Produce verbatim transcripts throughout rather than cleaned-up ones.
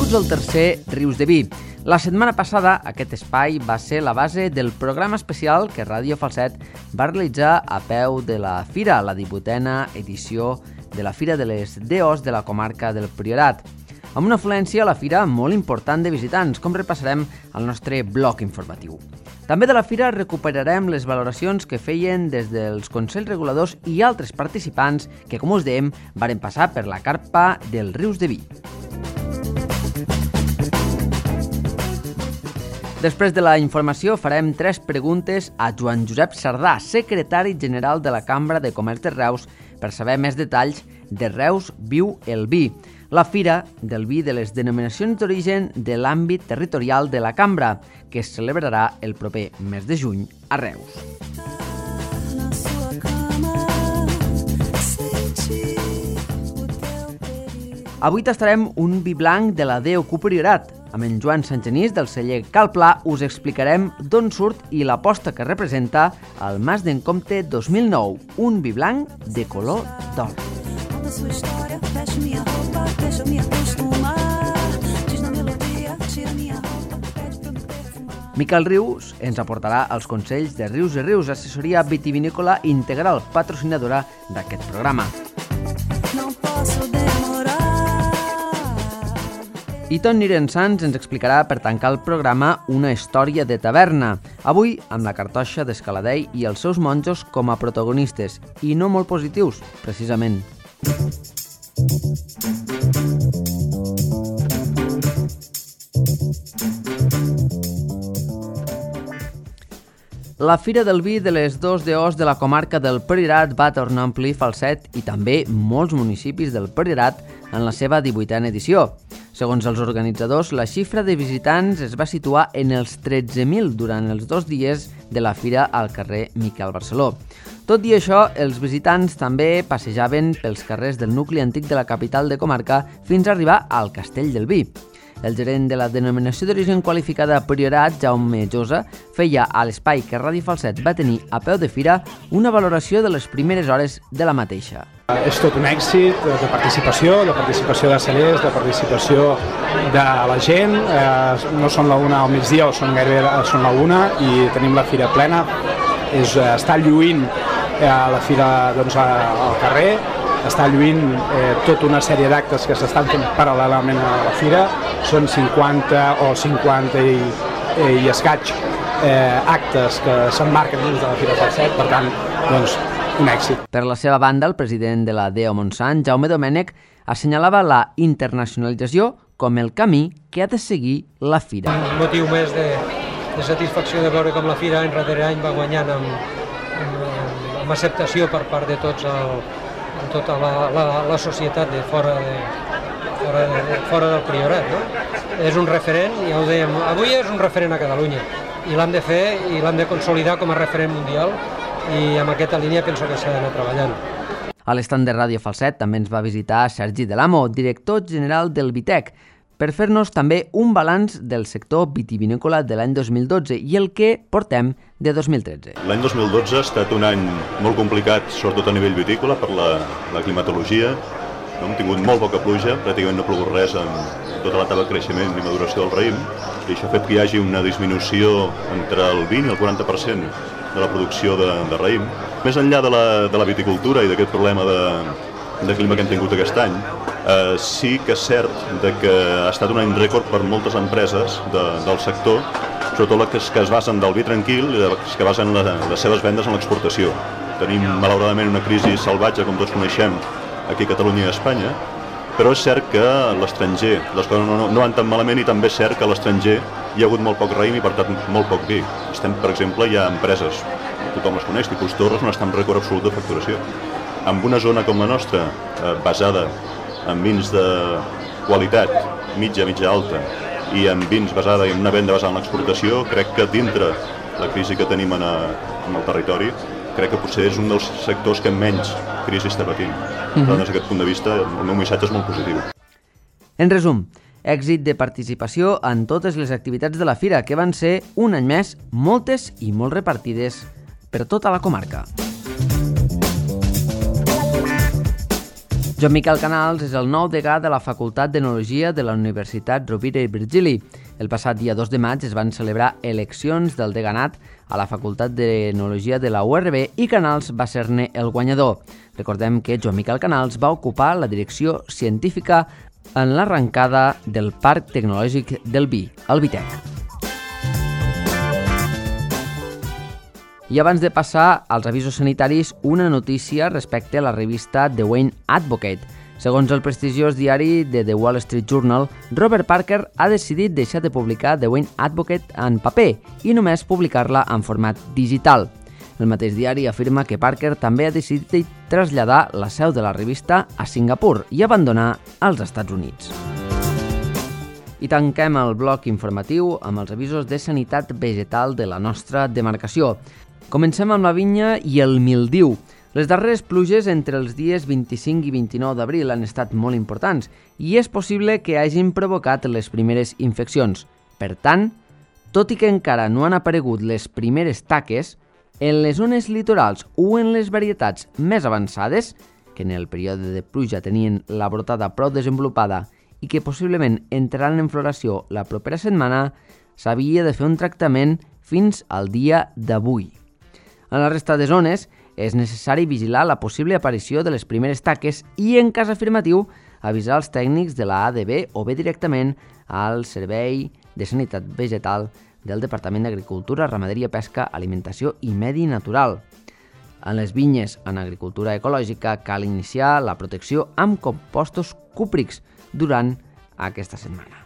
Benvinguts al tercer Rius de Vi. La setmana passada aquest espai va ser la base del programa especial que Ràdio Falset va realitzar a peu de la Fira, la divuitena edició de la Fira de les D Os de la comarca del Priorat, amb una afluència a la Fira molt important de visitants, com repassarem al nostre bloc informatiu. També de la Fira recuperarem les valoracions que feien des dels Consells Reguladors i altres participants que, com us dèiem, varen passar per la carpa del Rius de Vi. Després de la informació farem tres preguntes a Joan Josep Sardà, secretari general de la Cambra de Comerç de Reus, per saber més detalls de Reus Viu el Vi, la Fira del Vi de les denominacions d'origen de l'àmbit territorial de la Cambra, que es celebrarà el proper mes de juny a Reus. Avui tastarem un vi blanc de la D O Q Priorat. Amb en Joan Sangenís del celler Cal Pla us explicarem d'on surt i l'aposta que representa el Mas d'en Comte dos mil nou, un vi blanc de color d'or. Miquel Rius ens aportarà els consells de Rius i Rius, assessoria vitivinícola integral, patrocinadora d'aquest programa. I Toni Irensans ens explicarà per tancar el programa una història de taverna, avui amb la cartoixa d'Escaladei i els seus monjos com a protagonistes, i no molt positius, precisament. La Fira del Vi de les dos D Os de la comarca del Priorat va tornar a omplir Falset i també molts municipis del Priorat en la seva divuitena edició. Segons els organitzadors, la xifra de visitants es va situar en els tretze mil durant els dos dies de la fira al carrer Miquel Barceló. Tot i això, els visitants també passejaven pels carrers del nucli antic de la capital de comarca fins a arribar al Castell del Vi. El gerent de la denominació d'origen qualificada Priorat, Jaume Josa, feia a l'espai que Ràdio Falset va tenir a peu de fira una valoració de les primeres hores de la mateixa. És tot un èxit de participació, de participació de cellers, de participació de la gent. Eh, no són la una al migdia, o són gairebé són la una, i tenim la fira plena. És, està lluint eh, la fira doncs, al carrer, està lluint eh, tota una sèrie d'actes que s'estan fent paral·lelament a la fira. Són cinquanta o cinquanta i, i escaig eh, actes que s'emmarquen dins de la Fira Falset, per tant, doncs, un èxit. Per la seva banda, el president de la D O Montsant, Jaume Domènech, assenyalava la internacionalització com el camí que ha de seguir la fira. Un motiu més de, de satisfacció de veure com la fira any rere any va guanyant amb, amb, amb acceptació per part de tots el, tota la, la, la societat de fora de Fora, de, fora del Priorat, no? És un referent, ja ho dèiem, avui és un referent a Catalunya i l'hem de fer i l'hem de consolidar com a referent mundial, i amb aquesta línia penso que s'ha d'anar treballant. A l'estand de Ràdio Falset també ens va visitar Sergi Delamo, director general del Vitec, per fer-nos també un balanç del sector vitivinícola de l'any dos mil dotze i el que portem de dos mil tretze. L'any dos mil dotze ha estat un any molt complicat, sobretot a nivell vitícola, per la, la climatologia. Hem tingut molt poca pluja, pràcticament no ha plogut res en tota l'etapa de creixement i maduració del raïm, i això ha fet que hi hagi una disminució entre el vint i el quaranta per cent de la producció de, de raïm. Més enllà de la, de la viticultura i d'aquest problema de, de clima que hem tingut aquest any, eh, sí que és cert de que ha estat un any rècord per moltes empreses de, del sector, sobretot les que es basen del vi tranquil i les que basen la, les seves vendes en l'exportació. Tenim, malauradament, una crisi salvatge, com tots coneixem, aquí a Catalunya i a Espanya, però és cert que a l'estranger les coses no, no, no van tan malament, i també és cert que a l'estranger hi ha hagut molt poc raïm i per tant molt poc vi. Estem, per exemple, hi ha empreses, tothom les coneix, tipus Torres, on està en rècord absolut de facturació. En una zona com la nostra, eh, basada en vins de qualitat, mitja, mitja alta, i en vins basada i en una venda basada en l'exportació, crec que dintre la crisi que tenim en, a, en el territori, crec que potser és un dels sectors que menys crisi està patint. Per tant, des d'aquest punt de vista, el meu missatge és molt positiu. En resum, èxit de participació en totes les activitats de la fira, que van ser, un any més, moltes i molt repartides per tota la comarca. Joan Miquel Canals és el nou degà de la Facultat d'Enologia de la Universitat Rovira i Virgili. El passat dia dos de maig es van celebrar eleccions del deganat a la Facultat d'Enologia de la U R B i Canals va ser-ne el guanyador. Recordem que Joan Miquel Canals va ocupar la direcció científica en l'arrencada del Parc Tecnològic del Vi, el Vitec. I abans de passar als avisos sanitaris, una notícia respecte a la revista The Wayne Advocate. Segons el prestigiós diari de The Wall Street Journal, Robert Parker ha decidit deixar de publicar The Wayne Advocate en paper i només publicar-la en format digital. El mateix diari afirma que Parker també ha decidit traslladar la seu de la revista a Singapur i abandonar els Estats Units. I tanquem el bloc informatiu amb els avisos de sanitat vegetal de la nostra demarcació. Comencem amb la vinya i el mildiu. Les darreres pluges entre els dies vint-i-cinc i vint-i-nou d'abril han estat molt importants i és possible que hagin provocat les primeres infeccions. Per tant, tot i que encara no han aparegut les primeres taques, en les zones litorals o en les varietats més avançades, que en el període de pluja tenien la brotada prou desenvolupada i que possiblement entraran en floració la propera setmana, s'havia de fer un tractament fins al dia d'avui. En la resta de zones és necessari vigilar la possible aparició de les primeres taques i, en cas afirmatiu, avisar els tècnics de la A D B o bé directament al Servei de Sanitat Vegetal del Departament d'Agricultura, Ramaderia, Pesca, Alimentació i Medi Natural. En les vinyes en agricultura ecològica cal iniciar la protecció amb compostos cúprics durant aquesta setmana.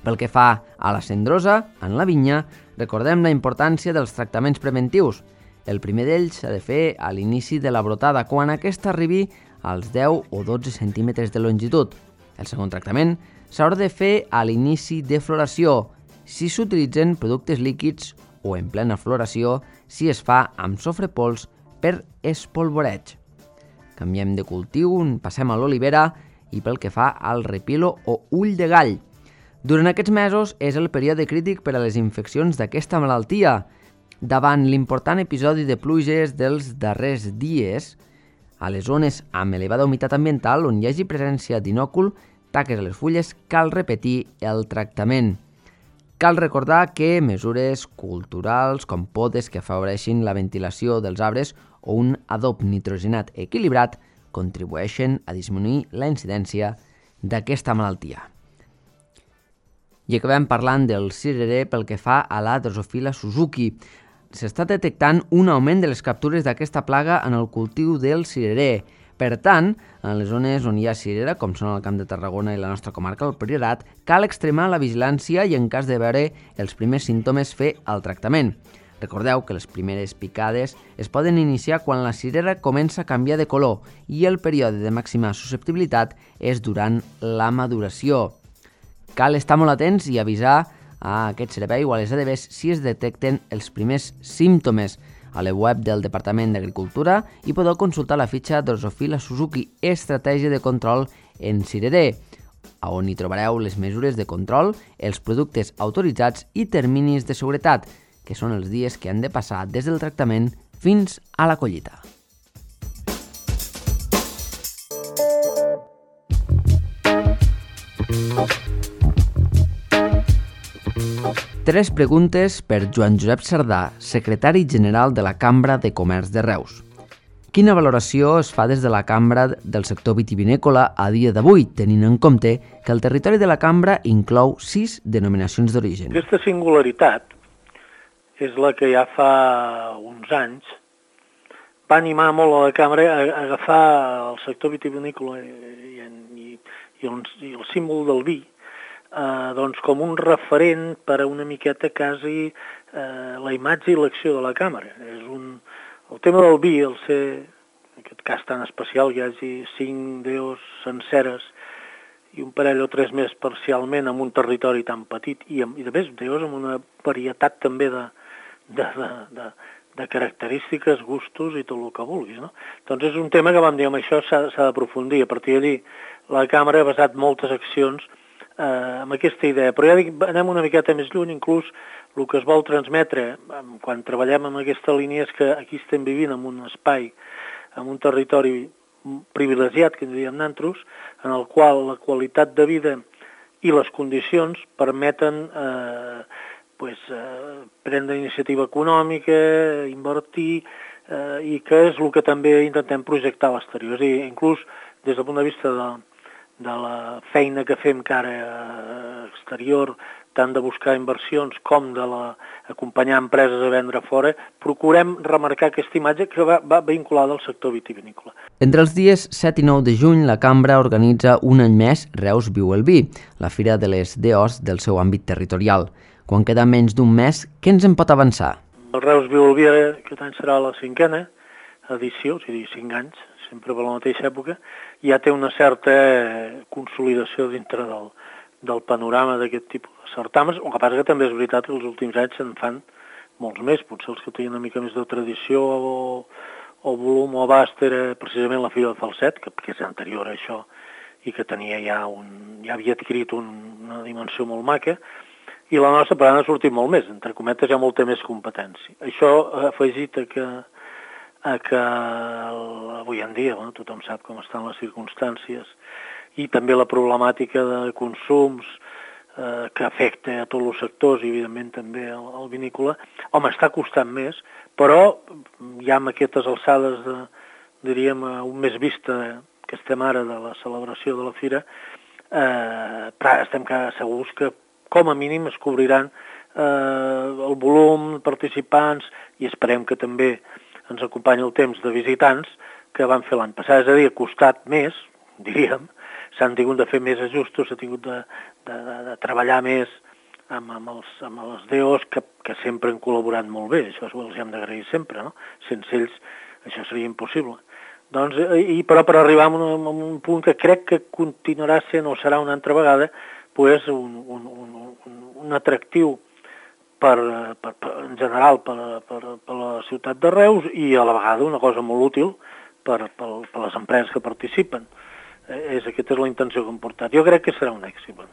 Pel que fa a la cendrosa, en la vinya, recordem la importància dels tractaments preventius. El primer d'ells s'ha de fer a l'inici de la brotada, quan aquesta arribi als deu o dotze centímetres de longitud. El segon tractament s'haurà de fer a l'inici de floració, si s'utilitzen productes líquids, o en plena floració, si es fa amb sofre pols per espolvoreig. Canviem de cultiu, passem a l'olivera i pel que fa al repilo o ull de gall. Durant aquests mesos és el període crític per a les infeccions d'aquesta malaltia. Davant l'important episodi de pluges dels darrers dies, a les zones amb elevada humitat ambiental on hi hagi presència d'inòcul, taques a les fulles, cal repetir el tractament. Cal recordar que mesures culturals com podes que afavoreixin la ventilació dels arbres o un adob nitrogenat equilibrat contribueixen a disminuir la incidència d'aquesta malaltia. I acabem parlant del cirerer pel que fa a la Drosophila Suzuki. S'està detectant un augment de les captures d'aquesta plaga en el cultiu del cirerer. Per tant, en les zones on hi ha cirera, com són el Camp de Tarragona i la nostra comarca, el Priorat, cal extremar la vigilància i, en cas de veure els primers símptomes, fer el tractament. Recordeu que les primeres picades es poden iniciar quan la cirera comença a canviar de color i el període de màxima susceptibilitat és durant la maduració. Cal estar molt atents i avisar a aquest servei o a les A D Bs si es detecten els primers símptomes. A la web del Departament d'Agricultura hi podeu consultar la fitxa Drosophila Suzuki Estratègia de Control en Cirerer, on hi trobareu les mesures de control, els productes autoritzats i terminis de seguretat, que són els dies que han de passar des del tractament fins a la collita. Tres preguntes per Joan Josep Cerdà, secretari general de la Cambra de Comerç de Reus. Quina valoració es fa des de la Cambra del sector vitivinícola a dia d'avui, tenint en compte que el territori de la Cambra inclou sis denominacions d'origen? Aquesta singularitat és la que ja fa uns anys va animar molt a la Cambra a agafar el sector vitivinícola i, i, i, el, i el símbol del vi Eh, doncs com un referent per a una miqueta quasi eh, la imatge i l'acció de la càmera. És un, el tema del vi, el ser, en aquest cas tan especial, hi hagi cinc deos senceres i un parell o tres més parcialment en un territori tan petit i, i de més deos amb una varietat també de, de, de, de, de característiques, gustos i tot el que vulguis, no? Doncs és un tema que vam dir, amb això s'ha d'aprofundir. A partir d'allí la càmera ha basat moltes accions Uh, amb aquesta idea, però ja dic, anem una miqueta més lluny, inclús el que es vol transmetre um, quan treballem amb aquesta línia és que aquí estem vivint en un espai, en un territori privilegiat, que en diríem nosaltres, en el qual la qualitat de vida i les condicions permeten eh, pues, eh, prendre iniciativa econòmica, invertir, eh, i que és el que també intentem projectar a l'exterior. És a dir, inclús des del punt de vista de, de la feina que fem cara a exterior, tant de buscar inversions com de la, acompanyar empreses a vendre fora, procurem remarcar aquesta imatge que va, va vinculada al sector vitivinícola. Entre els dies set i nou de juny, la Cambra organitza un any més Reus Viu el Vi, la fira de les D Os del seu àmbit territorial. Quan queda menys d'un mes, què ens en pot avançar? El Reus Viu el Vi aquest any serà la cinquena edició, o sigui, cinc anys, sempre per la mateixa època, ja té una certa consolidació dintre del, del panorama d'aquest tipus de certàmens, el que passa que també és veritat que els últims anys se'n fan molts més, potser els que tenen una mica més de tradició o, o volum o abast era precisament la Fira de Falset, que, que és anterior a això i que tenia ja, un, ja havia adquirit un, una dimensió molt maca, i la nostra per tant ha sortit molt més, entre cometes hi ha molta més competència. Això ha afegit a que, a que avui en dia, bueno, tothom sap com estan les circumstàncies, i també la problemàtica de consums eh, que afecta a tots els sectors i evidentment també al, al vinícola, home, està costant més, però ja amb aquestes alçades de, diríem, un mes vista que estem ara de la celebració de la fira, eh, estem segurs que com a mínim es cobriran eh, el volum de participants i esperem que també ens acompanyi el temps de visitants que van fer l'any passat. És a dir, ha costat més, diríem, s'han tingut de fer més ajustos, s'ha tingut de, de, de, de treballar més amb, amb, els, amb els D Os que, que sempre han col·laborat molt bé, això els hem d'agrair sempre, no? Sense ells això seria impossible. Doncs, i, però per arribar a un, a un punt que crec que continuarà sent o serà una altra vegada pues, un, un, un, un atractiu per, per, per, en general per, per, per la ciutat de Reus i a la vegada una cosa molt útil per, per, per les empreses que participen. És, aquesta és la intenció que hem portat. Jo crec que serà un èxit. Bueno.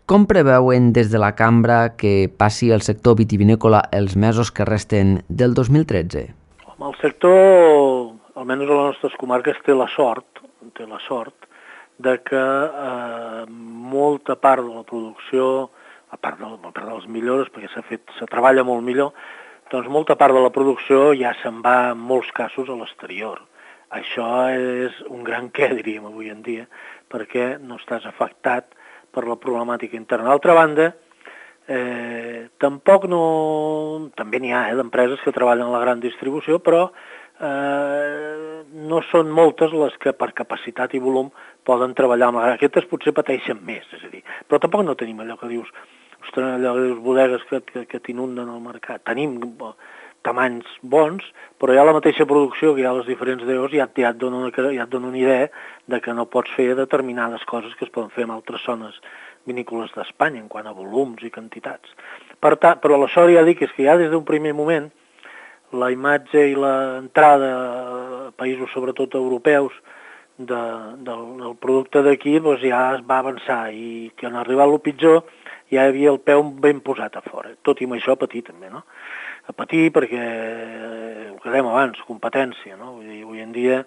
Com preveuen des de la Cambra que passi el sector vitivinícola els mesos que resten del dos mil tretze? El sector, almenys a les nostres comarques, té la sort, té la sort de que eh, molta part de la producció, a part de, a part de les millores, perquè s'ha fet, se treballa molt millor, doncs molta part de la producció ja se'n va en molts casos a l'exterior. Això és un gran què, diríem, avui en dia, perquè no estàs afectat per la problemàtica interna. D'altra banda, eh, tampoc no... També n'hi ha eh, d'empreses que treballen a la gran distribució, però eh, no són moltes les que per capacitat i volum poden treballar amb la gran. Aquestes potser pateixen més, és a dir, però tampoc no tenim allò que dius, ostres, allò que dius bodegues que, que, que t'inunden el mercat. Tenim tamanys bons, però ja la mateixa producció que hi ha a les diferents D Os ja, ja, et dona una, ja et dona una idea de que no pots fer determinades coses que es poden fer en altres zones vinícoles d'Espanya en quant a volums i quantitats. Per tant, però la sort ja dic és que ja des d'un primer moment la imatge i l'entrada a països sobretot europeus de, del, del producte d'aquí doncs ja es va avançar i que en arribar a lo pitjor ja hi havia el peu ben posat a fora, tot i amb això a patir també, no? A patir perquè, ho que dèiem abans, competència, no? Vull dir, avui en dia,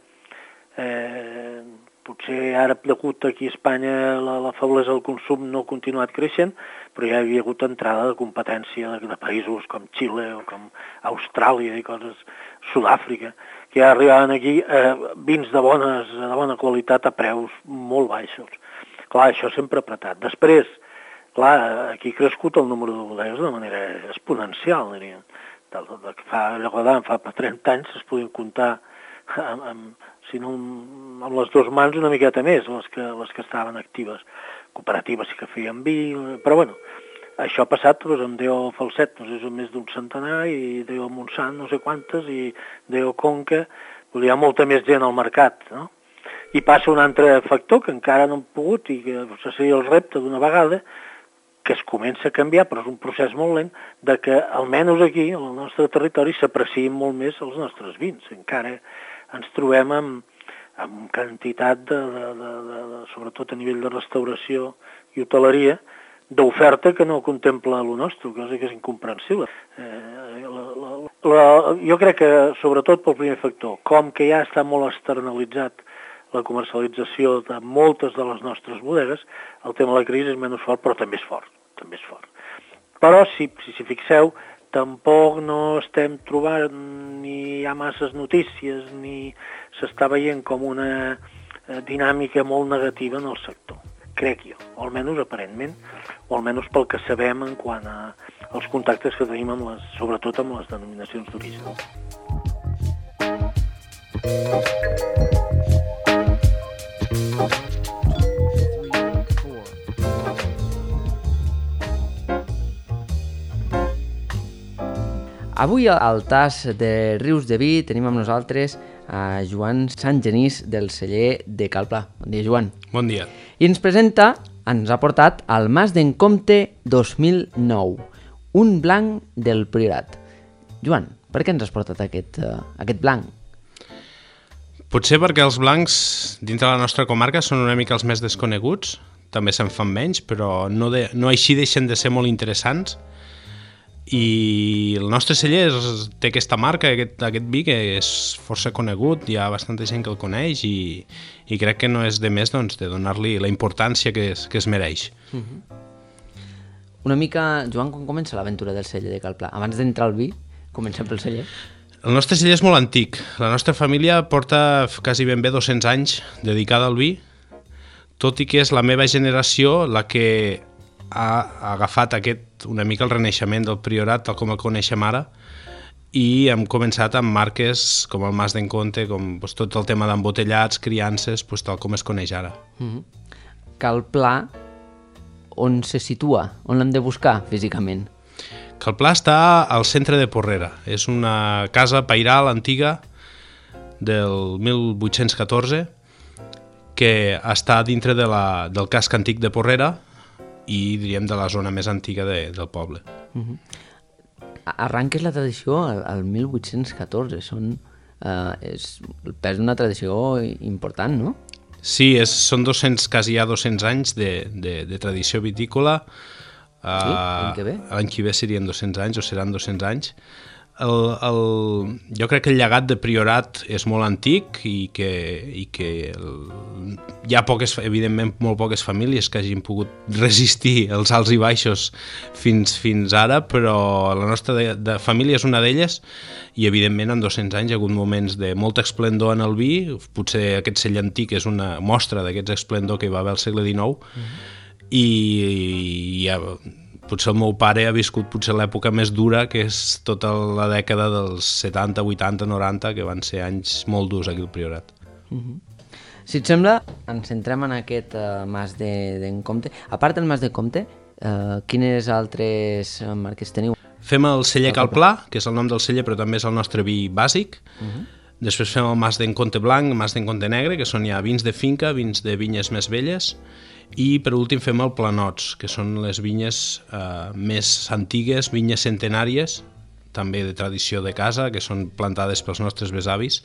eh, potser ara degut aquí a Espanya la, la feblesa del consum no ha continuat creixent, però ja hi havia hagut entrada de competència de, de països com Xile o com Austràlia i coses, Sud-àfrica, que ja arribaven aquí eh, vins de, bones, de bona qualitat a preus molt baixos. Clar, això sempre ha apretat. Després, clar, aquí ha crescut el número de bodegues de manera exponencial, diríem. Fa, fa trenta anys es podien comptar amb, amb, si no, amb les dues mans una miqueta més, les que, les que estaven actives. Cooperatives sí que feien vi, però bueno, això ha passat doncs, amb D O Falset, no sé, és més d'un centenar, i D O Montsant, no sé quantes, i D O Conca, hi ha molta més gent al mercat, no? I passa un altre factor que encara no hem pogut, i que seria el repte d'una vegada, que es comença a canviar, però és un procés molt lent, de que almenys aquí, al nostre territori, s'aprecien molt més els nostres vins. Encara ens trobem amb, amb quantitat, de, de, de, de, de, sobretot a nivell de restauració i hoteleria, d'oferta que no contempla el nostre, cosa que és incomprensible. Eh, la, la, la, jo crec que, sobretot pel primer factor, com que ja està molt externalitzat la comercialització de moltes de les nostres bodegues, el tema de la crisi és menys fort, però també és fort, també és fort. Però, si si, si fixeu, tampoc no estem trobant, ni hi ha masses notícies, ni s'està veient com una dinàmica molt negativa en el sector, crec jo, o almenys aparentment, o almenys pel que sabem en quant a, als contactes que tenim, amb les, sobretot amb les denominacions d'origen. Avui al tas de Rius de Vi tenim amb nosaltres a Joan Santgenís del celler de Cal Pla. Bon dia, Joan. Bon dia. I ens presenta, ens ha portat al Mas d'en Comte dos mil nou, un blanc del Priorat. Joan, per què ens has portat aquest, uh, aquest blanc? Potser perquè els blancs dintre la nostra comarca són una mica els més desconeguts, també se'n fan menys, però no, de, no així deixen de ser molt interessants. I el nostre celler és, té aquesta marca, aquest, aquest vi que és força conegut, hi ha bastanta gent que el coneix i, i crec que no és de més doncs, de donar-li la importància que es, que es mereix. Uh-huh. Una mica, Joan, com comença l'aventura del celler de Cal Pla? Abans d'entrar al vi, comencem pel celler. El nostre celler és molt antic. La nostra família porta quasi ben bé dos-cents anys dedicada al vi, tot i que és la meva generació la que ha agafat aquest, una mica el renaixement del Priorat tal com el coneixem ara, i hem començat amb marques com el Mas d'en Comte, com doncs, tot el tema d'embotellats, criances, doncs, tal com es coneix ara. Mm-hmm. Cal Pla, on se situa? On l'hem de buscar físicament? Cal Pla està al centre de Porrera. És una casa pairal antiga del mil vuit-cents catorze que està dintre de la, del casc antic de Porrera i diríem de la zona més antiga de, del poble. Uh-huh. Arranques la tradició al, al mil vuit-cents catorze, són, uh, és el pes d'una tradició important, no? Sí, és, són dos-cents, quasi ja dos-cents anys de, de, de tradició vitícola. Uh, sí, l'any que ve? L'any que ve serien dos-cents anys o seran dos-cents anys. El, el, jo crec que el llegat de Priorat és molt antic i que, i que el, hi ha poques, evidentment molt poques famílies que hagin pogut resistir els alts i baixos fins, fins ara, però la nostra de, de família és una d'elles i evidentment en dos-cents anys hi ha hagut moments de molta esplendor en el vi, potser aquest celler antic és una mostra d'aquests esplendor que hi va haver al segle dinou, mm-hmm. i, i ja, potser el meu pare ha viscut potser l'època més dura, que és tota la dècada dels setanta, vuitanta, noranta, que van ser anys molt durs aquí al Priorat. Uh-huh. Si et sembla, ens centrem en aquest uh, Mas d'en Comte. A part del Mas de Comte, uh, quines altres marques teniu? Fem el celler Cal Pla, que és el nom del celler, però també és el nostre vi bàsic. Uh-huh. Després fem el Mas d'en Comte Blanc, Mas d'en Comte Negre, que són ja vins de finca, vins de vinyes més velles. I per últim fem el Planots, que són les vinyes eh, més antigues, vinyes centenàries, també de tradició de casa, que són plantades pels nostres besavis,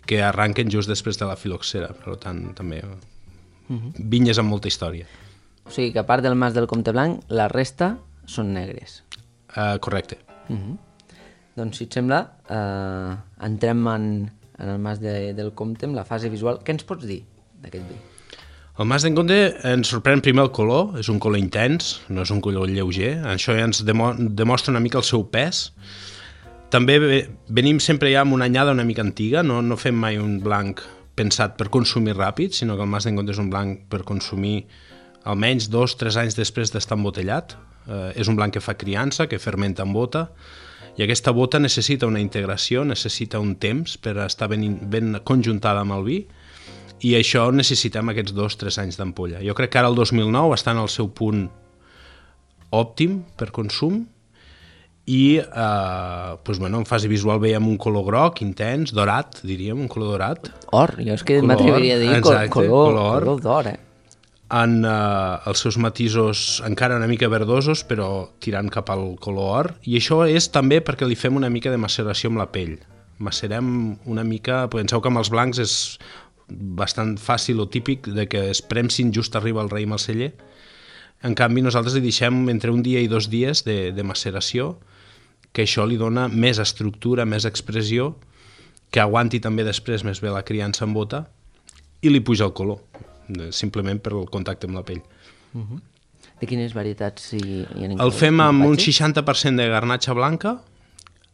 que arranquen just després de la filoxera, per tant també uh-huh. vinyes amb molta història. O sigui que a part del Mas del Comte Blanc, la resta són negres. Uh, correcte. Uh-huh. Doncs si et sembla, uh, entrem en, en el Mas de, del Comte, amb la fase visual. Què ens pots dir d'aquest vi? El Mas d'en Comte ens sorprèn primer el color, és un color intens, no és un color lleuger, això ja ens demo demostra una mica el seu pes. També venim sempre ja amb una anyada una mica antiga, no, no fem mai un blanc pensat per consumir ràpid, sinó que el Mas d'en Comte és un blanc per consumir almenys dos o tres anys després d'estar embotellat. Eh, és un blanc que fa criança, que fermenta en bota, i aquesta bota necessita una integració, necessita un temps per estar ben, ben conjuntada amb el vi, i això necessitem aquests dos o tres anys d'ampolla. Jo crec que ara el dos mil nou està en el seu punt òptim per consum i eh, doncs, bueno, en fase visual veiem un color groc, intens, dorat, diríem, un color dorat. Or, jo és que m'atreviria a dir exacte, color, color, color d'or, eh? En eh, els seus matisos encara una mica verdosos, però tirant cap al color or, i això és també perquè li fem una mica de maceració amb la pell. Macerem una mica, penseu que amb els blancs és bastant fàcil o típic de que es premsin just arriba el raïm al celler. En canvi, nosaltres li deixem entre un dia i dos dies de, de maceració, que això li dona més estructura, més expressió, que aguanti també després més bé la criança en bota i li puja el color, simplement per el contacte amb la pell. Uh-huh. De quines varietats hi, hi ha? El fem amb un seixanta per cent de garnatxa blanca,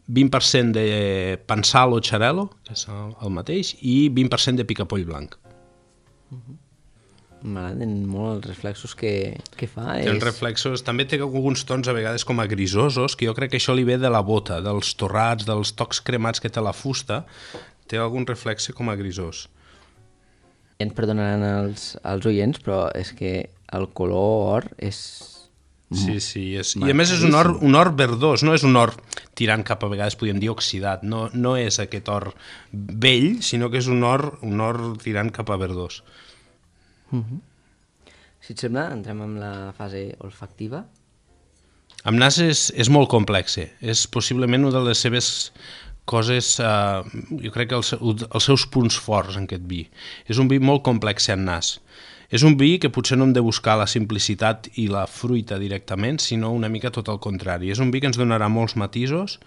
vint per cent de pensal o xarel·lo, que és el mateix, i vint per cent de picapoll blanc. Uh-huh. M'agraden molt els reflexos que, que fa. Té és... reflexos, també té alguns tons a vegades com a grisosos, que jo crec que això li ve de la bota, dels torrats, dels tocs cremats que té la fusta, té algun reflexe com a grisós. Ja ens perdonaran els, els oients, però és que el color or és... Sí, sí, és... i a més és un or, un or verdós, no és un or tirant cap a vegades, podríem dir, oxidat, no, no és aquest or vell, sinó que és un or, un or tirant cap a verdós. Uh-huh. Si et sembla, entrem amb la fase olfactiva. Amb nas és, és molt complexe, és possiblement una de les seves coses, eh, jo crec que els, els seus punts forts en aquest vi. És un vi molt complex en nas. És un vi que potser no hem de buscar la simplicitat i la fruita directament, sinó una mica tot el contrari. És un vi que ens donarà molts matisos,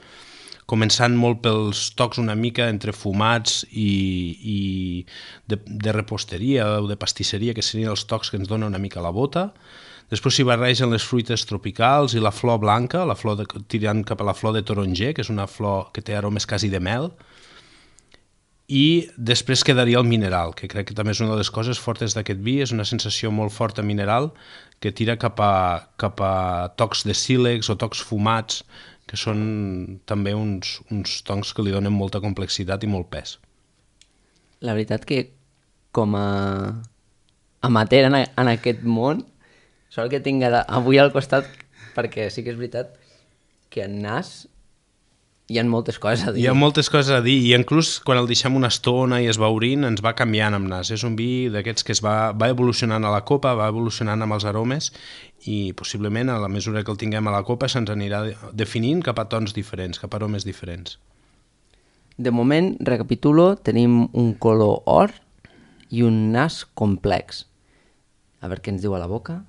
començant molt pels tocs una mica entre fumats i, i de, de reposteria o de pastisseria, que serien els tocs que ens dona una mica la bota. Després s'hi barregen les fruites tropicals i la flor blanca, la flor de, tirant cap a la flor de taronger, que és una flor que té aromes quasi de mel. I després quedaria el mineral, que crec que també és una de les coses fortes d'aquest vi, és una sensació molt forta mineral que tira cap a, cap a tocs de sílex o tocs fumats, que són també uns, uns tons que li donen molta complexitat i molt pes. La veritat que com a amateur en, a, en aquest món, sort que tinc avui al costat, perquè sí que és veritat que en nas hi ha moltes coses a dir. Hi ha moltes coses a dir, i inclús quan el deixem una estona i es va obrint, ens va canviant amb nas. És un vi d'aquests que es va, va evolucionant a la copa, va evolucionant amb els aromes, i possiblement a la mesura que el tinguem a la copa se'ns anirà definint cap a tons diferents, cap a aromes diferents. De moment, recapitulo, tenim un color or i un nas complex. A veure què ens diu a la boca.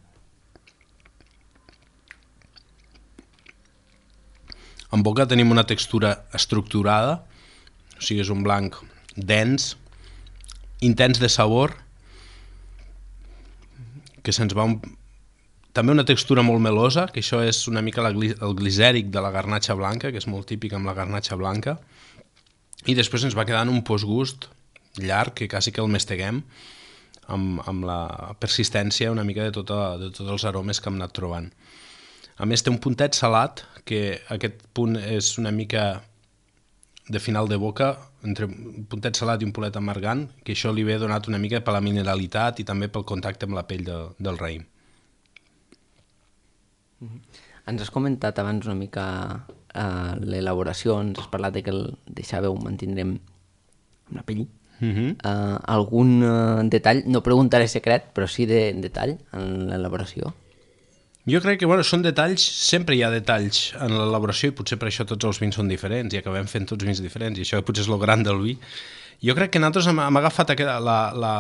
En boca tenim una textura estructurada, o sigui, és un blanc dens, intens de sabor, que se'ns va... Un... També una textura molt melosa, que això és una mica la, el glicèric de la garnatxa blanca, que és molt típic amb la garnatxa blanca, i després ens va quedant un postgust llarg, que quasi que el masteguem, amb, amb la persistència una mica de, tota, de tots els aromes que hem anat trobant. A més, té un puntet salat, que aquest punt és una mica de final de boca, entre un puntet salat i un puntet amargant, que això li ve donat una mica per la mineralitat i també pel contacte amb la pell de, del raïm. Ens has comentat abans una mica uh, l'elaboració, ens has parlat de que el deixàveu mantindrem amb la pell. Uh-huh. uh, algun uh, detall, no preguntaré secret, però sí de detall en l'elaboració? Jo crec que bueno, són detalls, sempre hi ha detalls en l'elaboració i potser per això tots els vins són diferents i acabem fent tots vins diferents i això potser és el gran del vi. Jo crec que nosaltres hem, hem agafat la, la,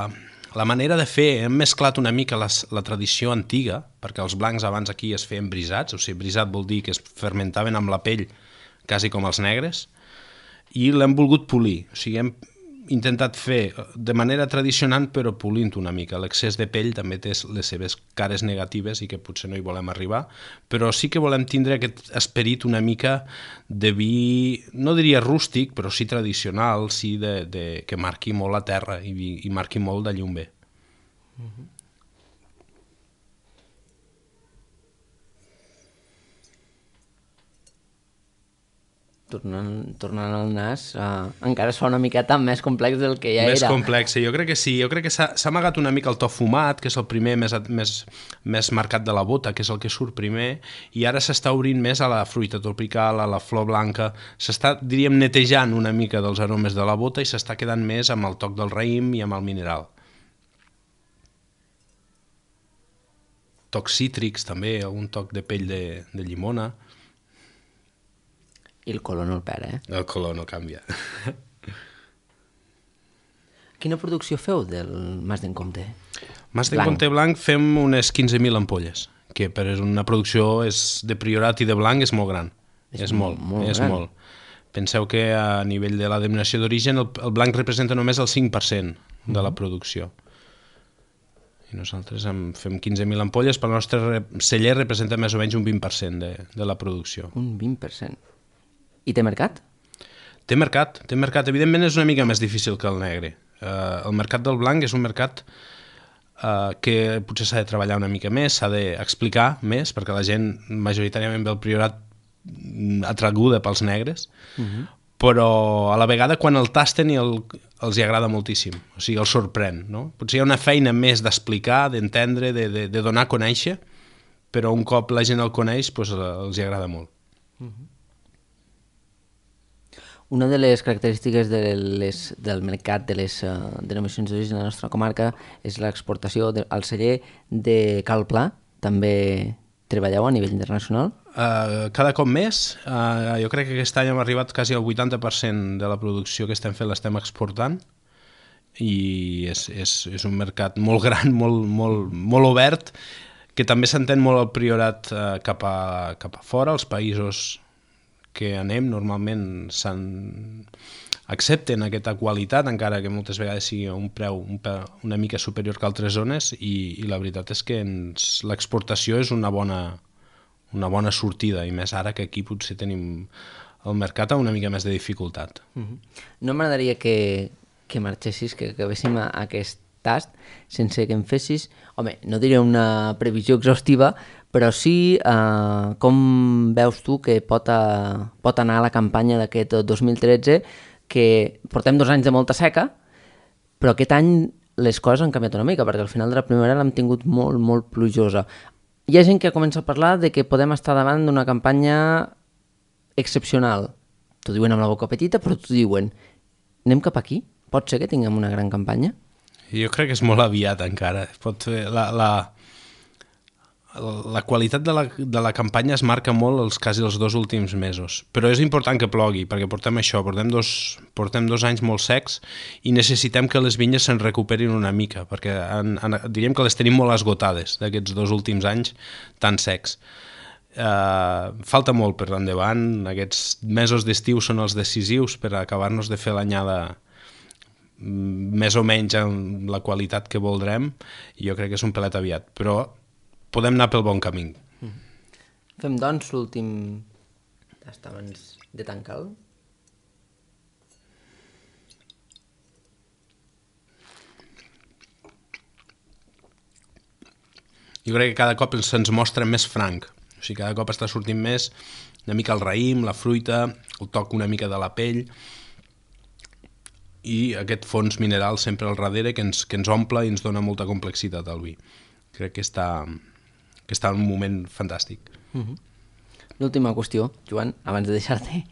la manera de fer, hem mesclat una mica les, la tradició antiga, perquè els blancs abans aquí es feien brisats, o sigui, brisat vol dir que es fermentaven amb la pell quasi com els negres, i l'hem volgut polir, o sigui, hem intentat fer de manera tradicional però polint una mica. L'excés de pell també té les seves cares negatives i que potser no hi volem arribar, però sí que volem tindre aquest esperit una mica de vi, no diria rústic, però sí tradicional, sí de, de, que marqui molt la terra i, i marqui molt d'allí on ve. Mm-hmm. Tornant, tornant al nas, uh, encara es fa una miqueta més complex del que ja més era. Més complex, jo crec que sí. Jo crec que s'ha amagat una mica el to fumat, que és el primer més, més, més marcat de la bota, que és el que surt primer, i ara s'està obrint més a la fruita tropical, a la flor blanca. S'està, diríem, netejant una mica dels aromes de la bota i s'està quedant més amb el toc del raïm i amb el mineral. Tocs cítrics, també, algun toc de pell de, de llimona. I el color no el perd, eh? El color no canvia. Quina producció feu del Mas d'en Comte? Mas d'en Comte blanc fem unes quinze mil ampolles, que per una producció és de Priorat i de blanc és molt gran. És, és molt, molt és molt. Penseu que a nivell de la denominació d'origen el, el blanc representa només el cinc per cent de la producció. I nosaltres en fem quinze mil ampolles, però el nostre celler representa més o menys un vint per cent de, de la producció. Un vint per cent. I té mercat? Té mercat, té mercat. Evidentment és una mica més difícil que el negre. Uh, el mercat del blanc és un mercat uh, que potser s'ha de treballar una mica més, s'ha d'explicar més, perquè la gent majoritàriament ve al Priorat atraguda pels negres, uh-huh. però a la vegada quan el tasten el, els hi agrada moltíssim, o sigui, els sorprèn, no? Potser hi ha una feina més d'explicar, d'entendre, de, de, de donar a conèixer, però un cop la gent el coneix, doncs, els hi agrada molt. Uh-huh. Una de les característiques de les, del mercat de les uh, denominacions d'origen de la nostra comarca és l'exportació de, al celler de Cal Pla. També treballeu a nivell internacional? Uh, cada cop més. Uh, jo crec que aquest any hem arribat quasi al vuitanta per cent de la producció que estem fent l'estem exportant i és, és, és un mercat molt gran, molt, molt, molt obert, que també s'entén molt el Priorat uh, cap, a, cap a fora, els països que anem normalment s'han... accepten aquesta qualitat, encara que moltes vegades sigui un preu un preu una mica superior que altres zones, i, i la veritat és que ens, l'exportació és una bona, una bona sortida, i més ara que aquí potser tenim el mercat amb una mica més de dificultat. Uh-huh. No m'agradaria que, que marxessis, que acabéssim a, a aquest tast sense que em fessis, home, no diré una previsió exhaustiva, però sí eh, com veus tu que pot, a, pot anar la campanya d'aquest dos mil tretze, que portem dos anys de molta seca, però aquest any les coses han canviat una mica, perquè al final de la primavera l'hem tingut molt, molt plujosa. Hi ha gent que comença a parlar de que podem estar davant d'una campanya excepcional. T'ho diuen amb la boca petita, però t'ho diuen. Anem cap aquí? Pot ser que tinguem una gran campanya? Jo crec que és molt aviat encara. Pot fer la, la, la qualitat de la, de la campanya es marca molt els quasi els dos últims mesos, però és important que plogui, perquè portem això, portem dos, portem dos anys molt secs i necessitem que les vinyes se'n recuperin una mica, perquè en, en, diríem que les tenim molt esgotades d'aquests dos últims anys tan secs. Uh, falta molt per endavant, aquests mesos d'estiu són els decisius per acabar-nos de fer l'anyada més o menys amb la qualitat que voldrem, i jo crec que és un pelet aviat, però podem anar pel bon camí. Mm. Fem, doncs, l'últim tast abans de tancar-lo. Jo crec que cada cop se'ns mostra més franc. O sigui, cada cop està sortint més una mica el raïm, la fruita, el toc una mica de la pell i aquest fons mineral sempre al darrere que ens, que ens omple i ens dona molta complexitat al vi. Crec que està... que està en un moment fantàstic. Uh-huh. L'última qüestió, Joan, abans de deixar-te,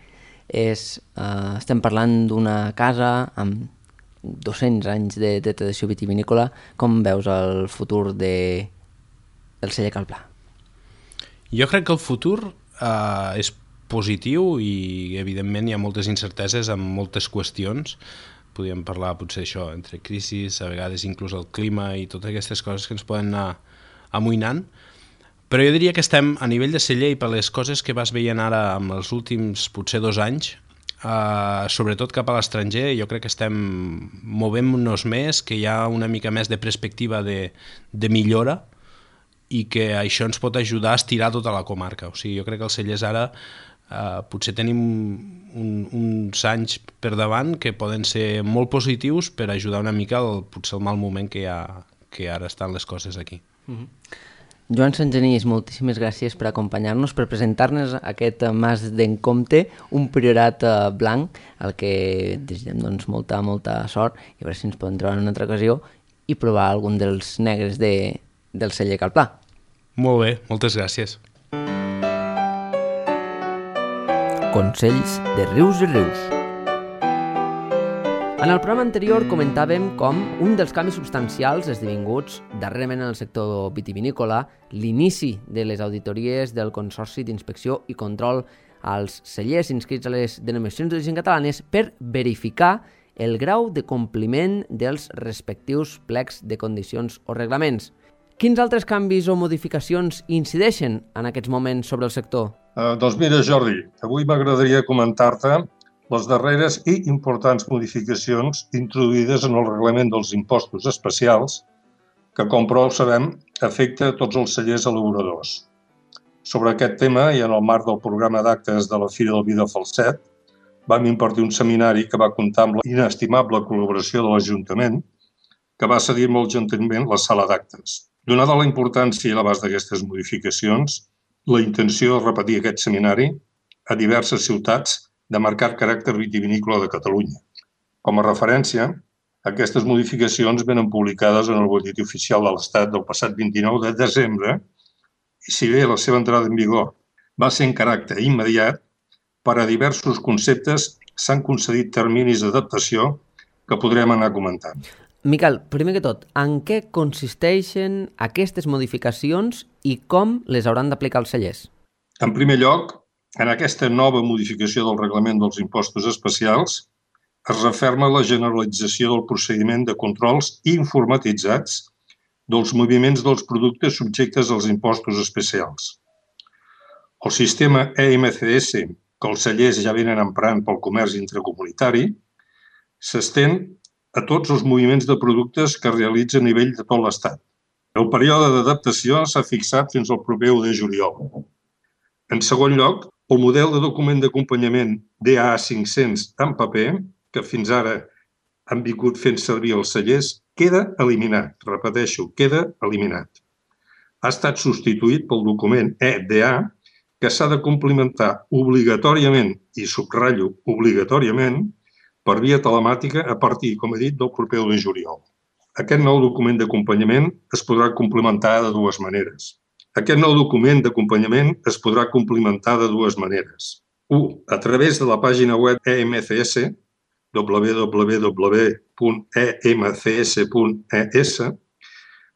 és, uh, estem parlant d'una casa amb dos-cents anys de, de tradició vitivinícola. Com veus el futur de, del celler Cal Pla? Jo crec que el futur uh, és positiu i, evidentment, hi ha moltes incerteses amb moltes qüestions. Podríem parlar, potser, això, entre crisis, a vegades inclús el clima i totes aquestes coses que ens poden anar amoïnant. Però jo diria que estem a nivell de celler i per les coses que vas veient ara amb els últims potser dos anys, eh, sobretot cap a l'estranger, jo crec que estem movent-nos més, que hi ha una mica més de perspectiva de, de millora i que això ens pot ajudar a estirar tota la comarca. O sigui, jo crec que els cellers ara eh, potser tenim un, uns anys per davant que poden ser molt positius per ajudar una mica el, potser el mal moment que, hi ha, que ara estan les coses aquí. Mm-hmm. Joan Santgenís, moltíssimes gràcies per acompanyar-nos, per presentar-nos aquest Mas d'en Comte, un priorat eh, blanc, al que desitgem doncs, molta, molta sort, i a veure si ens podem trobar en una altra ocasió i provar algun dels negres de, del celler Cal Pla. Molt bé, moltes gràcies. Consells de Rius i Rius. En el programa anterior comentàvem com un dels canvis substancials esdevinguts darrerament en el sector vitivinícola, l'inici de les auditories del Consorci d'Inspecció i Control als cellers inscrits a les denominacions d'origen catalanes per verificar el grau de compliment dels respectius plecs de condicions o reglaments. Quins altres canvis o modificacions incideixen en aquests moments sobre el sector? Uh, doncs mira, Jordi, avui m'agradaria comentar-te les darreres i importants modificacions introduïdes en el reglament dels impostos especials, que, com prou sabem, afecta a tots els cellers elaboradors. Sobre aquest tema, i en el marc del programa d'actes de la Fira del Vi de Falset, vam impartir un seminari que va comptar amb la inestimable col·laboració de l'Ajuntament, que va cedir molt gentilment la sala d'actes. Donada la importància i l'abast d'aquestes modificacions, la intenció de repetir aquest seminari a diverses ciutats de marcat caràcter vitivinícola de Catalunya. Com a referència, aquestes modificacions venen publicades en el Butlletí Oficial de l'Estat del passat vint-i-nou de desembre i, si bé la seva entrada en vigor va ser en caràcter immediat, per a diversos conceptes s'han concedit terminis d'adaptació que podrem anar comentant. Miquel, primer que tot, en què consisteixen aquestes modificacions i com les hauran d'aplicar els cellers? En primer lloc, en aquesta nova modificació del reglament dels impostos especials es referma la generalització del procediment de controls informatitzats dels moviments dels productes subjectes als impostos especials. El sistema E M C S, que els cellers ja venen emprant pel comerç intracomunitari, s'estén a tots els moviments de productes que es realitzen a nivell de tot l'Estat. El període d'adaptació s'ha fixat fins al proper u de juliol. En segon lloc, el model de document d'acompanyament D A cinc-cents en paper, que fins ara han vingut fent servir els cellers, queda eliminat. Repeteixo, queda eliminat. Ha estat substituït pel document E D A, que s'ha de complementar obligatòriament, i subratllo obligatòriament, per via telemàtica a partir, com he dit, del proper u de juliol. Aquest nou document d'acompanyament es podrà complementar de dues maneres. Aquest nou document d'acompanyament es podrà complementar de dues maneres. u. A través de la pàgina web E M C S, w w w punt e m c s punt e s.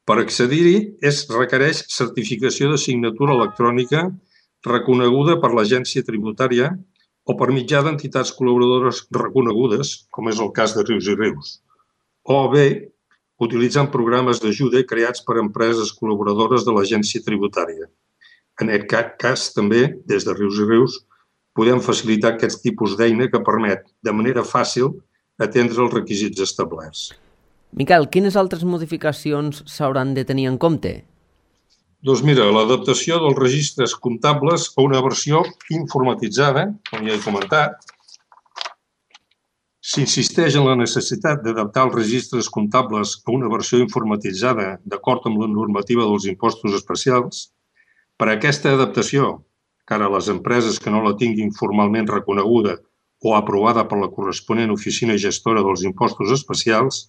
Per accedir-hi es requereix certificació de signatura electrònica reconeguda per l'Agència Tributària o per mitjà d'entitats col·laboradores reconegudes, com és el cas de Rius i Rius, o bé utilitzant programes d'ajuda creats per empreses col·laboradores de l'Agència Tributària. En aquest cas, també, des de Rius i Rius, podem facilitar aquest tipus d'eina que permet, de manera fàcil, atendre els requisits establerts. Miquel, quines altres modificacions s'hauran de tenir en compte? Doncs mira, l'adaptació dels registres comptables a una versió informatitzada, com ja he comentat. S'insisteix en la necessitat d'adaptar els registres comptables a una versió informatitzada d'acord amb la normativa dels impostos especials. Per a aquesta adaptació, que ara les empreses que no la tinguin formalment reconeguda o aprovada per la corresponent oficina gestora dels impostos especials,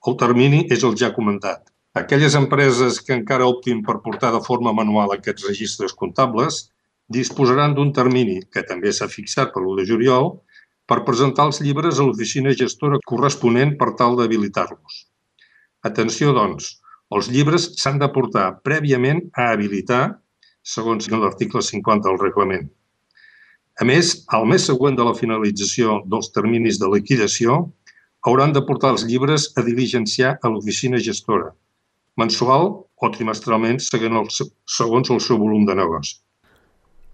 el termini és el ja comentat. Aquelles empreses que encara optin per portar de forma manual aquests registres comptables disposaran d'un termini, que també s'ha fixat per l'u de juliol, per presentar els llibres a l'oficina gestora corresponent per tal d'habilitar-los. Atenció, doncs, els llibres s'han de portar prèviament a habilitar, segons l'article cinquanta del reglament. A més, al mes següent de la finalització dels terminis de liquidació, hauran de portar els llibres a diligenciar a l'oficina gestora, mensual o trimestralment segons el seu volum de negoci.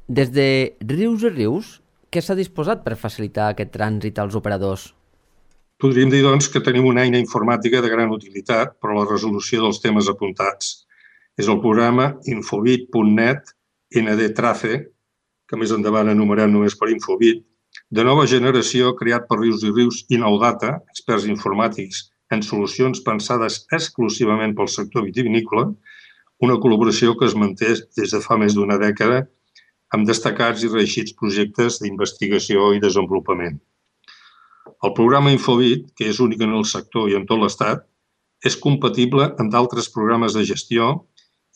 Des de Rius i Rius, què s'ha disposat per facilitar aquest trànsit als operadors? Podríem dir, doncs, que tenim una eina informàtica de gran utilitat per a la resolució dels temes apuntats. És el programa infobit punt net N D Trace, que més endavant anomenem només per Infobit, de nova generació creat per Rius i Rius i Nou Data, experts informàtics en solucions pensades exclusivament pel sector vitivinícola, una col·laboració que es manté des de fa més d'una dècada amb destacats i reeixits projectes d'investigació i desenvolupament. El programa Infobit, que és únic en el sector i en tot l'Estat, és compatible amb d'altres programes de gestió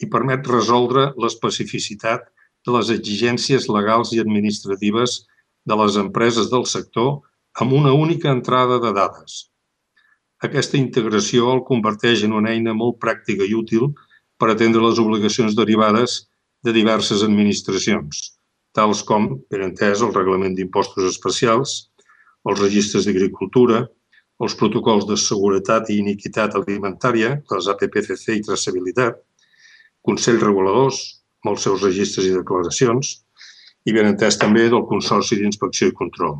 i permet resoldre l'especificitat de les exigències legals i administratives de les empreses del sector amb una única entrada de dades. Aquesta integració el converteix en una eina molt pràctica i útil per atendre les obligacions derivades de diverses administracions, tals com, per entès, el Reglament d'Impostos Especials, els registres d'agricultura, els protocols de seguretat i iniquitat alimentària, les A P P C C i traçabilitat, consells reguladors, amb els seus registres i declaracions, i ben entès també del Consorci d'Inspecció i Control.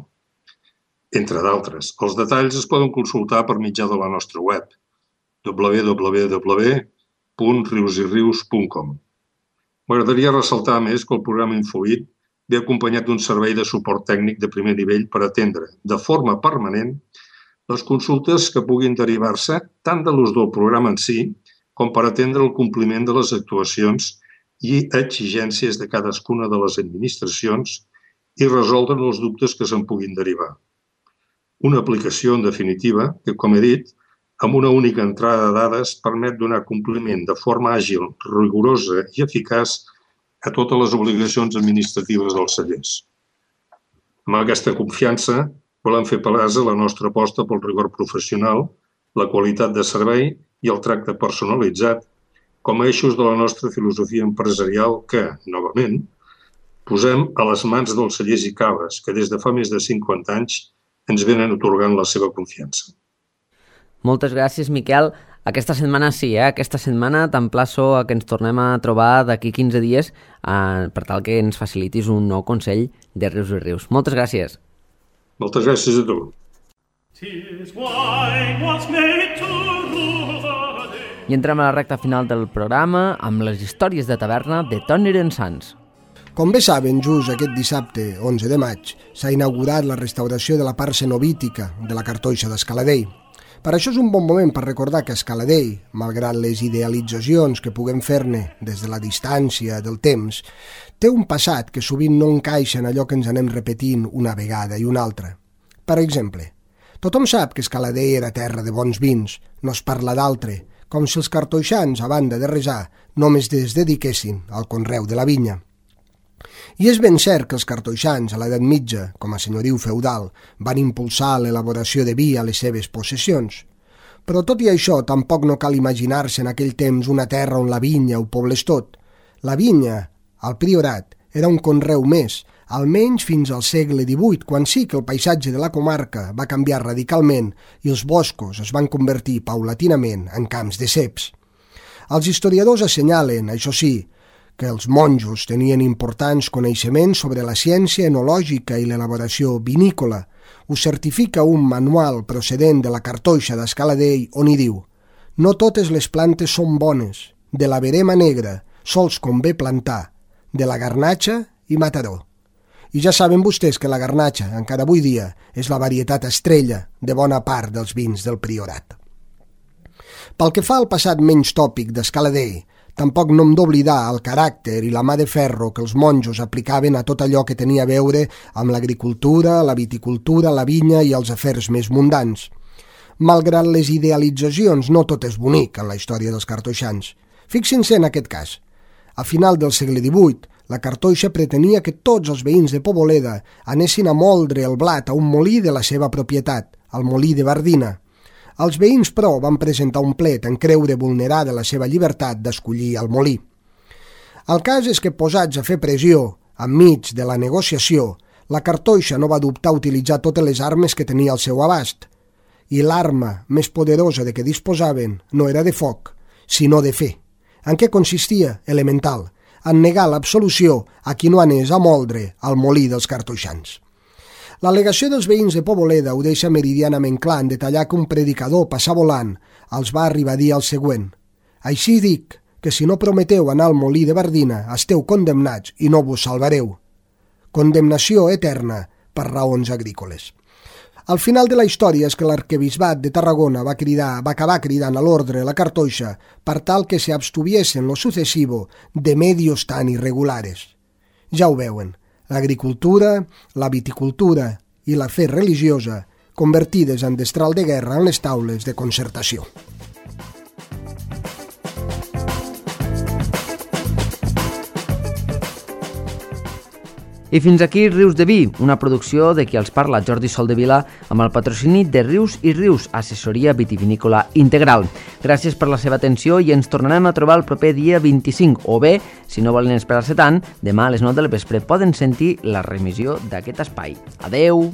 entre d'altres. Els detalls es poden consultar per mitjà de la nostra web, w w w punt rius i rius punt com. M'agradaria ressaltar més que el programa Infoit ve acompanyat d'un servei de suport tècnic de primer nivell per atendre de forma permanent les consultes que puguin derivar-se tant de l'ús del programa en si com per atendre el compliment de les actuacions i exigències de cadascuna de les administracions i resoldre els dubtes que se'n puguin derivar. Una aplicació, en definitiva, que, com he dit, amb una única entrada de dades permet donar compliment de forma àgil, rigorosa i eficaç a totes les obligacions administratives dels cellers. Amb aquesta confiança volem fer palesa la nostra aposta pel rigor professional, la qualitat de servei i el tracte personalitzat com a eixos de la nostra filosofia empresarial que, novament, posem a les mans dels cellers i cabres que des de fa més de cinquanta anys ens venen atorgant la seva confiança. Moltes gràcies, Miquel. Aquesta setmana sí, eh? Aquesta setmana t'emplaço a que ens tornem a trobar d'aquí quinze dies eh, per tal que ens facilitis un nou consell de Rius i Rius. Moltes gràcies. Moltes gràcies a tu. I entrem a la recta final del programa amb les històries de taverna de Toni Rensans. Com bé saben, just aquest dissabte, onze de maig, s'ha inaugurat la restauració de la part cenovítica de la cartoixa d'Escaladei. Per això és un bon moment per recordar que Escaladei, malgrat les idealitzacions que puguem fer-ne des de la distància del temps, té un passat que sovint no encaixa en allò que ens anem repetint una vegada i una altra. Per exemple, tothom sap que Escaladei era terra de bons vins, no es parla d'altre, com si els cartoixans, a banda de resar, només es dediquessin al conreu de la vinya. I és ben cert que els cartoixans, a l'edat mitja, com a senyoriu feudal, van impulsar l'elaboració de vi a les seves possessions. Però tot i això, tampoc no cal imaginar-se en aquell temps una terra on la vinya ho poblés tot. La vinya, al Priorat, era un conreu més, almenys fins al segle divuit, quan sí que el paisatge de la comarca va canviar radicalment i els boscos es van convertir paulatinament en camps de ceps. Els historiadors assenyalen, això sí, que els monjos tenien importants coneixements sobre la ciència enològica i l'elaboració vinícola. Ho certifica un manual procedent de la cartoixa d'Escaladei on hi diu: «No totes les plantes són bones, de la verema negra sols convé plantar, de la garnatxa i mataró». I ja saben vostès que la garnatxa, encara avui dia, és la varietat estrella de bona part dels vins del Priorat. Pel que fa al passat menys tòpic d'Escaladei, tampoc no hem d'oblidar el caràcter i la mà de ferro que els monjos aplicaven a tot allò que tenia a veure amb l'agricultura, la viticultura, la vinya i els afers més mundans. Malgrat les idealitzacions, no tot és bonic en la història dels cartoixans. Fixin-se en aquest cas. A final del segle divuit, la cartoixa pretenia que tots els veïns de Poboleda anessin a moldre el blat a un molí de la seva propietat, el molí de Bardina. Els veïns, però, van presentar un plet en creure vulnerada la seva llibertat d'escollir el molí. El cas és que, posats a fer pressió, enmig de la negociació, la cartoixa no va dubtar a utilitzar totes les armes que tenia al seu abast. I l'arma més poderosa de què disposaven no era de foc, sinó de fe. En què consistia? Elemental, en negar l'absolució a qui no anés a moldre al molí dels cartoixans. L'al·legació dels veïns de Poboleda ho deixa meridianament clar en detallar que un predicador passar volant els va arribar a dir el següent: «Així dic que si no prometeu anar al molí de Bardina esteu condemnats i no vos salvareu». Condemnació eterna per raons agrícoles. Al final de la història és que l'arquebisbat de Tarragona va, cridar, va acabar cridant a l'ordre la cartoixa per tal que se abstuviesen lo sucesivo de medios tan irregulares. Ja ho veuen, l'agricultura, la viticultura i la fe religiosa convertides en destral de guerra en les taules de concertació. I fins aquí Rius de Vi, una producció de qui els parla Jordi Soldevila amb el patrocini de Rius i Rius, assessoria vitivinícola integral. Gràcies per la seva atenció i ens tornarem a trobar el proper dia vint-i-cinc, o bé, si no volen esperar-se tant, demà a les nou del vespre poden sentir la remissió d'aquest espai. Adeu!